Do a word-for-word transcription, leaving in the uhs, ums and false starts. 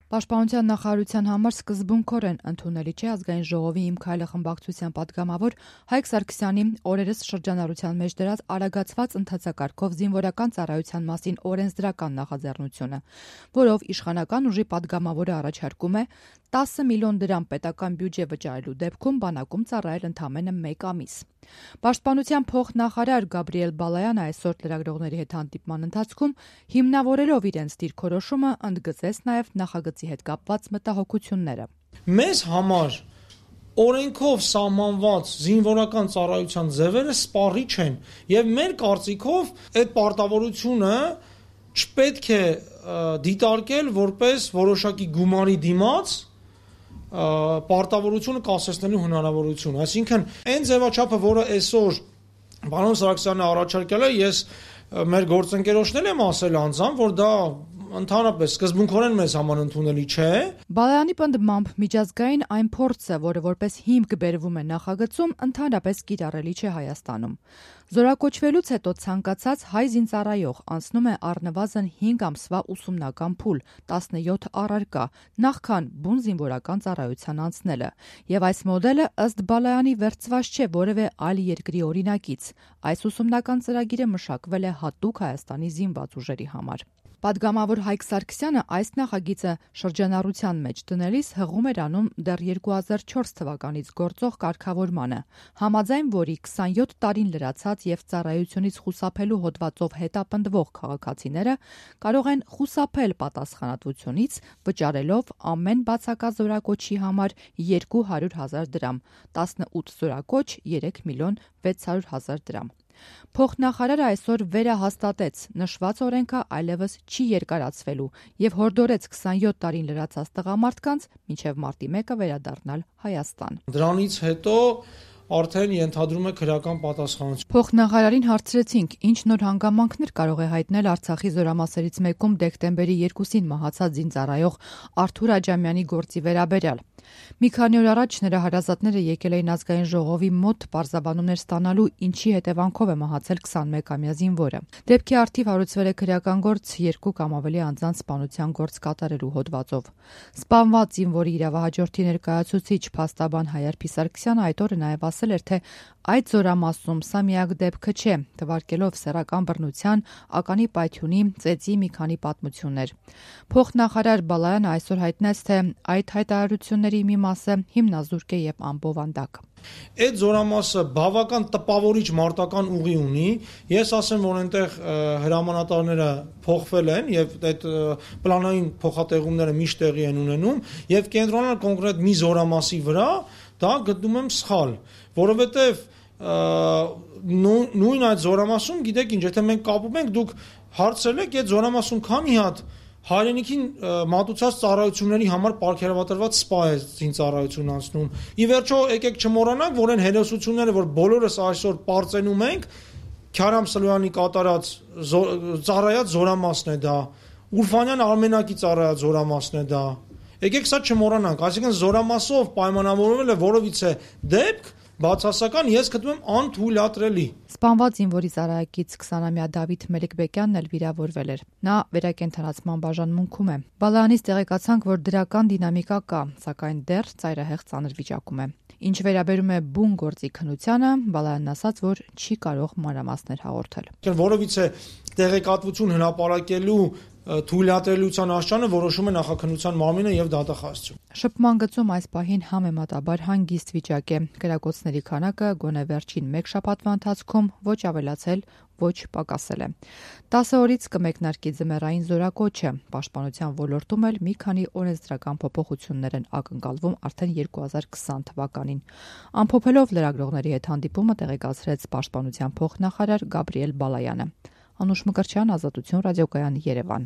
Պաշտպանության նախարարության համար սկզբունքորեն ընդունելի չէ ազգային ժողովի «Իմ քայլը» խմբակցության պատգամավոր Հայկ Սարգսյանի օրերս շրջանառության մեջ դրած արագացված ընթացակարգով զինվորական ծառայության մասին օրենսդրական նախաձեռնությունը, որով իշխանական ուժի պատգամավորը առաջարկում է տասը միլիոն դրամ պետական բյուջե վճարելու դեպքում բանակում ծառայել ընդամենը մեկ ամիս։ Պաշտպանության փոխնախարար Գաբրիել Բալայանը այսօր լրագրողների հետ հանդիպման ընթացքում հիմնավորելով իրենց դիրքորոշումը ընդգծեց նաև նախագծի հետ կապված մտահոգությունները։ Մեզ համար օրենքով սահմանված զինվորական ծառայության ձևերը սպառիչ են եւ մեր կարծիքով այդ պարտավորությունը չպետք է դիտարկել որպես որոշակի գումարի դիմաց պարտավորությունը կասեցնելու հնարավորություն, այսինքն այն ձևաչափը, որը այսօր պարոն Սարգսյանը առաջարկել է, ես մեր գործընկերոջներն եմ ասել անձամբ, որ դա ընդհանրապես սկզբունքորեն մեզ համար ընդունելի չէ։ Բալայանի պնդմամբ միջազգային այն փորձը, որը որպես հիմք բերվում է նախագծում, ընդհանրապես կիրառելի չէ Հայաստանում։ Զորակոչվելուց հետո ցանկացած հայ զինծառայող անցնում է առնվազն հինգ ամսվա ուսումնական փուլ, տասնյոթ առարկա, նախքան բուն զինվորական ծառայության անցնելը, եւ այս մոդելը ըստ Բալայանի վերցված չէ որևէ այլ երկրի օրինակից։ Այս ուսումնական ծրագիրը մշակվել է հատուկ Հայաստանի զինված ուժերի համար։ Պատգամավոր Հայկ Սարգսյանը այս նախագիծը շրջանառության մեջ դնելիս հղում էր անում դեռ երկու հազար չորս թվականից գործող կարգավորմանը, համաձայն որի քսանյոթ տարին լրացած եւ ծառայությունից խուսափելու հոդվածով հետապնդվող քաղաքացիները կարող են խուսափել պատասխանատվությունից վճարելով ամեն բացակա զորակոչի համար երկու հարյուր հազար դրամ, տասնութ զորակոչ երեք միլիոն վեց հարյուր հազար դրամ։ Փոխնախարարը այսօր վերահաստատեց նշված օրենքը այլևս չի երկարացվելու եւ հորդորեց քսանյոթ տարին լրացած տղամարդկանց մինչեւ մարտի մեկը վերադառնալ Հայաստան։ Դրանից հետո արդեն ենթադրում է քրեական պատասխանատվություն։ Փոխնախարարին հարցրեցինք, ինչ նոր հանգամանքներ կարող է հայտնել Արցախի զորամասերից մեկում դեկտեմբերի երկուսին մահացած զինծառայող Արթուր Աջամյանի գործի վերաբերյալ։ Մի քանի օր առաջ նրա հարազատները եկել էին ազգային ժողովի մոտ պարզաբանումներ ստանալու, ինչի հետևանքով է մահացել քսանմեկամյա զինվորը։ Դեպքի առթիվ հարուցվել է քրեական գործ երկու կամ ավելի անձանց սպանության գործ կատարելու հոդվածով։ Սպանված զինվորի իրավահաջորդի ներկայացուցիչ փաստաբան Հայարփի Սարգսյանը այդ օրը նաև ասել էր, թե այդ զորամասում սա միակ դեպքը չէ, թվարկելով սեռական բռնության, ականի պայթյունի, ծեծի մի քանի պատմություններ։ Փոխնախարար Բալայանը այսօր հայտնեց, թե այդ հայտարարությունների մի մասը հիմնազուրկ է եւ անբովանդակ։ Այդ զորամասը բավական տպավորիչ մարտական ուղի ունի, ես ասեմ, որ այնտեղ հրամանատարները փոխվել են եւ այդ պլանային փոխատեղումները միշտ տեղի են ունենում եւ կենտրոնալ կոնկրետ մի զորամասի վրա դա գտնում եմ սխալ, որովհետեւ նույն այդ զորամասում, գիտեք ինչ, եթե մենք կապում ենք, դուք հարցրել եք այդ զորամասում քանի հատ հայրենիքին մատուցած ծառայությունների համար պարգևատրված սպա է զինծառայություն անցնում։ Ի վերջո եկեք չմոռանանք, որ այն հերոսությունները, որ բոլորս այսօր պարծենում ենք, Քյարամ Սլոյանի կատարած ծառայած զորամասն է դա, Ուրֆանյան Արմենակի ծառայած զորամասն է դա։ Եկեք սա չմոռանանք, այսինքն զորամասով պայմանավորվել է որովիցե դեպք բացասական ես գտնում եմ անթույլատրելի։ Սպանված զինվորի ծառայակից քսանամյա Դավիթ Մելիքբեկյանն էլ վիրավորվել էր։ Նա վերակենդանացման բաժանմունքում է։ Բալայանից տեղեկացանք, որ դրական դինամիկա կա, սակայն դեռ ծայրահեղ ծանր վիճակում է։ Ինչ վերաբերում է բուն գործի քննությանը, Բալայանն ասաց, որ չի կարող մանրամասներ հաղորդել։ Որովիցե տեղեկատվություն հրապարակելու թույլատրելիության աշճանը որոշում է նախաքննության մարմինը եւ դատախազությունը։ Շփման գծում այս պահին համեմատաբար հանգիստ վիճակ է։ Կրակոցների քանակը գոնե վերջին մեկ շաբաթվա ընթացքում ոչ ավելացել, ոչ պակասել է։ տասը օրից կմեկնարկի ձմեռային զորակոչը։ Պաշտպանության ոլորտում էլ մի քանի օրենսդրական փոփոխություններ են ակնկալվում արդեն երկու հազար քսան թվականին։ Ամփոփելով լրագրողների հետ հանդիպումը տեղեկացրեց Պաշտպանության փոխնախարար Գաբրիել Բալայանը։ Անուշ Մկրտչյան, Ազատություն ռադիոկայան, Երևան։